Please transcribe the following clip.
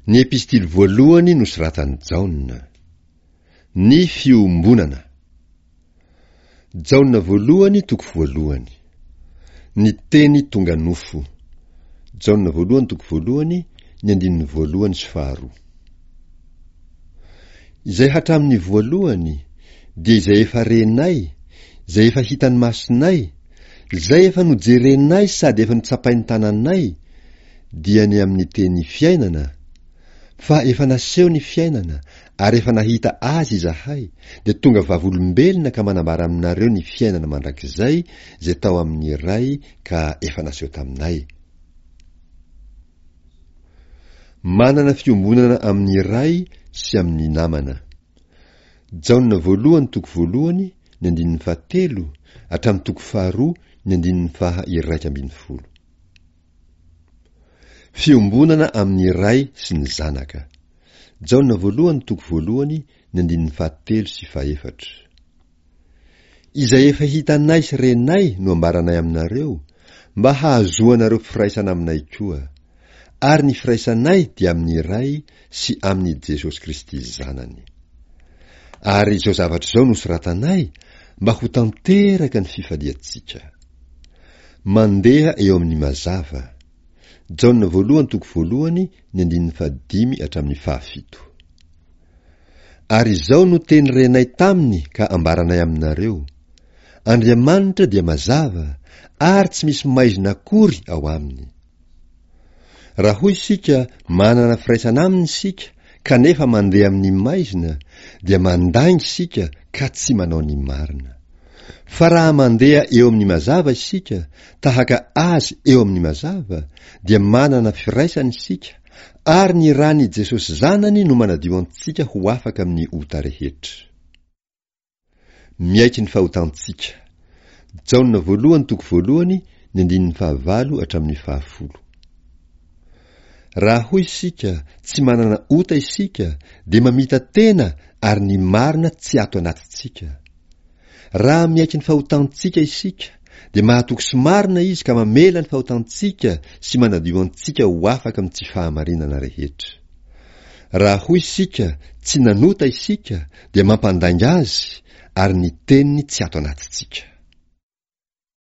Ny epistily voalohany nosoratan'i Jaona. Ny fiombonana. Jaona voalohany toko voalohany. Ny teny tonga nofo. Jaona voalohany toko voalohany, ny andininy voalohany sy faharoa. Izay hatramin'ny voalohany, dia izay efa renay, izay efa hitan'ny masonay, izay efa nojerenay sady efa notsapain'ny tananay, dia ny amin'ny teny fiainana, fa efa naseho ny fiainana ary efa nahita azy izahay, dia tonga vavolombelona ka manambara aminareo ny fiainana mandrakizay izay tao amin'ny Ray ka efa naseho taminay. Manana fiombonana amin'ny Ray sy amin'ny namana. Jaona voalohany toko voalohany ny andininy fahatelo hatramin'ny toko faharoa ny andininy faha 11. Fiombonana amin'ny Ray sy ny Zanaka. Jaona voalohany toko voalohany ny andininy fahatelo sy fahefatra. Izay efa hitanay sy renay no ambaranay aminareo, mba hahazoanareo firaisana aminay koa. Ary ny firaisanay dia amin'ny Ray sy amin'i Jesosy Kristy Zanany. Ary izao zavatra izao no soratanay mba ho tanteraka ny fifaliantsika. Mandeha eo amin'ny mazava. Jaona voalohany toko voalohany ny andininy fahadimy hatramin'ny fahafito. Ary izao no teny renay taminy ka ambaranay aminareo, Andriamanitra dia mazava, ary tsy misy maizina akory ao aminy. Raha hoy isika manana firaisana aminy isika kanefa mandeha amin'ny maizina, dia mandainga isika ka tsy manao ny marina. Fa raha mandeha eo amin'ny mazava isika, tahaka Azy eo amin'ny mazava, dia manana firaisana isika, Ary ny ran'i Jesosy Zanany no manadio antsika ho afaka amin'ny ota rehetra. Miaiky ny fahotantsika. Jaona voalohany toko voalohany ny andininy fahavalo hatramin'ny fahafolo. Raha hoy isika tsy manana ota isika dia mamita-tena ary ny marina tsy ato anatintsika. Raha miaiky ny fahotantsika isika, dia mahatoky sy marina Izy ka mamela ny fahotantsika sy manadio antsika ho afaka amin'ny tsy fahamarinana rehetra. Raha hoy isika tsy nanota isika dia mampandainga Azy ary ny teniny tsy ato anatintsika.